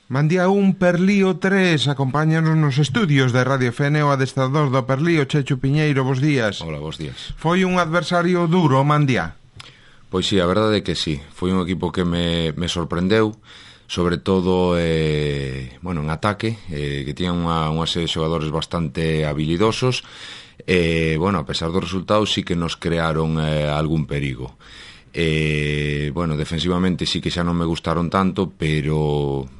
Mandía 1, Perlío 3, acompáñanos nos estudios de Radio Fene o adestrador do Perlío, Chechu Piñeiro, bos días. Hola, bos días. Foi un adversario duro, Mandía? Pois sí, a verdade é que sí. Foi un equipo que me sorprendeu, sobre todo en ataque, que tiñan unha serie de xogadores bastante habilidosos. A pesar dos resultados, sí que nos crearon algún perigo. Defensivamente sí que xa non me gustaron tanto, pero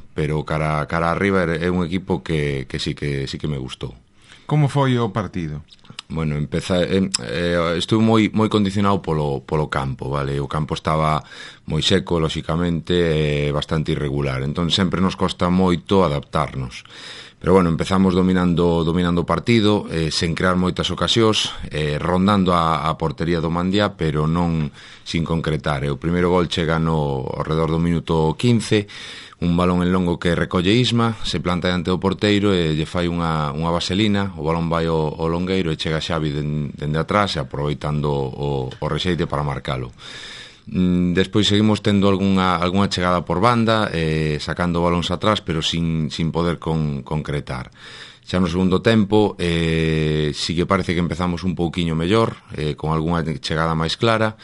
cara arriba é un equipo que sí que me gustou. Como foi o partido? Bueno, estuve moi condicionado polo campo, vale? O campo estaba moi seco, lóxicamente, bastante irregular. Entón sempre nos costa moito adaptarnos. Pero bueno, empezamos dominando o partido, sen crear moitas ocasións, rondando a portería do Mandía, pero non sin concretar. O primeiro gol chega ao redor do minuto 15, un balón en longo que recolle Isma, se planta diante do porteiro e lle fai unha vaselina, o balón vai ao longueiro e chega Xavi dende atrás, aproveitando o rexeite para marcalo. Despois seguimos tendo algunha chegada por banda, sacando balóns atrás, pero sin poder concretar. Xa no segundo tempo sí que parece que empezamos un pouquiño mellor, con algunha chegada máis clara.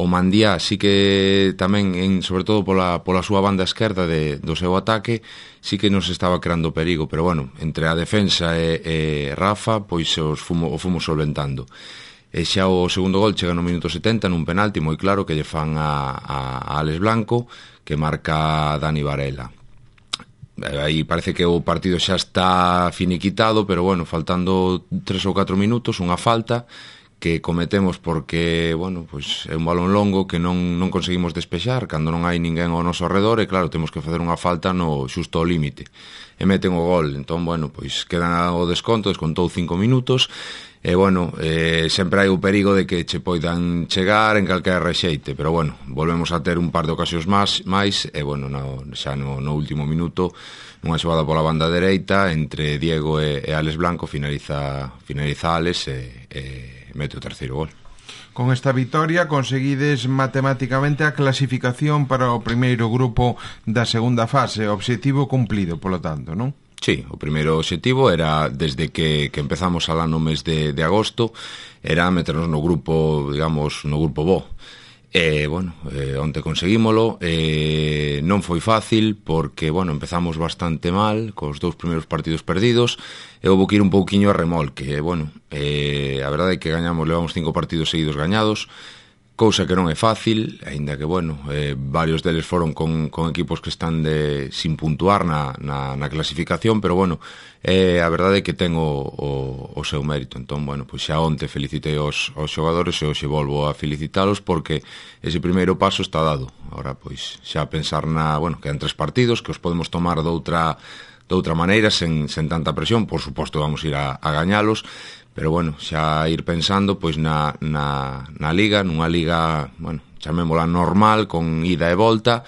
O Mandía sí que tamén, sobre todo pola súa banda esquerda do seu ataque, sí que nos estaba creando perigo, pero bueno, entre a defensa e Rafa, pois o fomos solventando. E xa o segundo gol chega no minuto 70 nun penalti moi claro que lle fan a Alex Blanco, que marca Dani Varela. Aí parece que o partido xa está finiquitado, pero bueno, faltando 3 ou 4 minutos, unha falta que cometemos porque, é un balón longo que non conseguimos despexar cando non hai ninguén ao noso arredor e claro, temos que facer unha falta xusto ao límite. E meten o gol, entón, quedan o desconto, descontou 5 minutos e, sempre hai o perigo de que che poidan chegar en calquera rexeite, pero, volvemos a ter un par de ocasións máis e, xa no último minuto, nunha xogada pola banda dereita, entre Diego e Alex Blanco, finaliza Alex e mete o terceiro gol. Con esta vitoria conseguides matemáticamente a clasificación para o primeiro grupo da segunda fase, objetivo cumplido, polo tanto, non? Sí, o primeiro obxectivo era, desde que empezamos alá no mes de agosto, era meternos no grupo, digamos, no grupo bo. Onte conseguímolo, non foi fácil porque, empezamos bastante mal, cos 2 primeiros partidos perdidos, e houve que ir un pouquiño a remolque, a verdade é que levamos 5 partidos seguidos gañados, cousa que non é fácil, aínda que, varios deles foron con equipos que están sin puntuar na clasificación, pero, a verdade é que ten o seu mérito. Entón, xa onte felicitei aos xogadores e hoxe volvo a felicitalos porque ese primeiro paso está dado. Ahora, xa pensar quedan 3 partidos que os podemos tomar doutra maneira, sen tanta presión, por suposto vamos ir a gañalos, pero xa ir pensando na liga, nunha liga, chamémola normal, con ida e volta,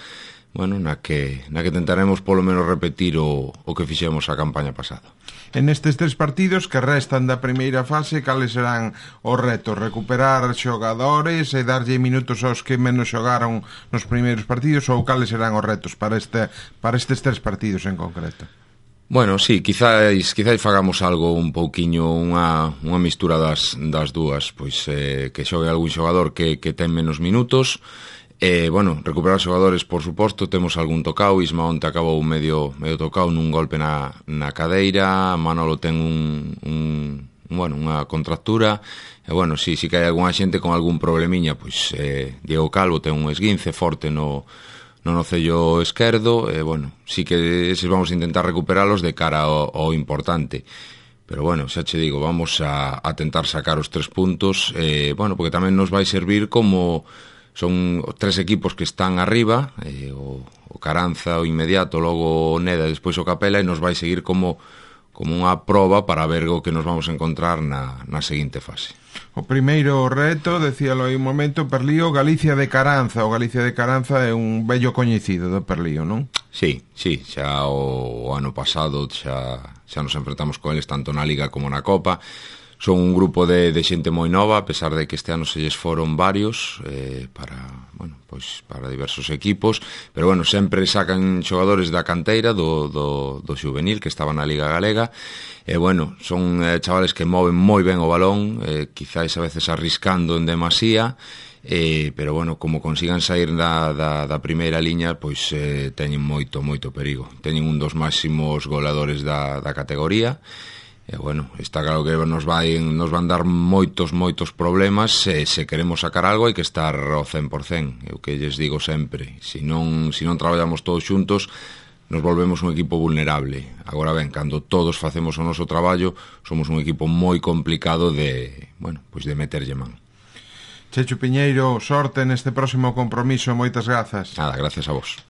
na que tentaremos polo menos repetir o que fixemos a campaña pasada. En estes 3 partidos que restan da primeira fase, cales serán os retos? Recuperar xogadores e darlle minutos aos que menos xogaron nos primeiros partidos, ou cales serán os retos para estes 3 partidos en concreto? Sí, quizáis fagamos algo un pouquiño, unha mistura das dúas, que xogue algún xogador que ten menos minutos, recuperar xogadores, por suposto, temos algún tocao, Isma onte acabou medio tocao nun golpe na cadeira, Manolo ten unha contractura, sí que hai algunha xente con algún problemiña, Diego Calvo ten un esguince forte no nocello esquerdo, sí que eses vamos a intentar recuperalos de cara ao importante, pero xa che digo, vamos a tentar sacar os 3 puntos, porque tamén nos vai servir como son 3 equipos que están arriba, o Caranza, o inmediato, logo o Neda, despois o Capela, e nos vai seguir como unha proba para ver o que nos vamos a encontrar na seguinte fase. O primeiro reto, decíalo aí un momento, Perlío, Galicia de Caranza. O Galicia de Caranza é un vello coñecido do Perlío, non? Sí, xa o ano pasado xa nos enfrentamos con eles tanto na Liga como na Copa. son un grupo de xente moi nova, a pesar de que este ano se lles foron varios para diversos equipos, pero bueno, sempre sacan xogadores da canteira do xuvenil que estaban na Liga Galega, e bueno, son chavales que moven moi ben o balón, quizáis a veces arriscando en demasía, pero bueno, como consigan sair da primeira liña, pois teñen moito perigo. Teñen un dos máximos goleadores da categoría, e bueno, está claro que nos van dar moitos problemas, se queremos sacar algo hai que estar ao 100%, é o que lles digo sempre, se non traballamos todos xuntos nos volvemos un equipo vulnerable. Agora ben, cando todos facemos o noso traballo, somos un equipo moi complicado de meterlle man. Chechu Piñeiro, sorte neste próximo compromiso, moitas grazas. Nada, gracias a vos.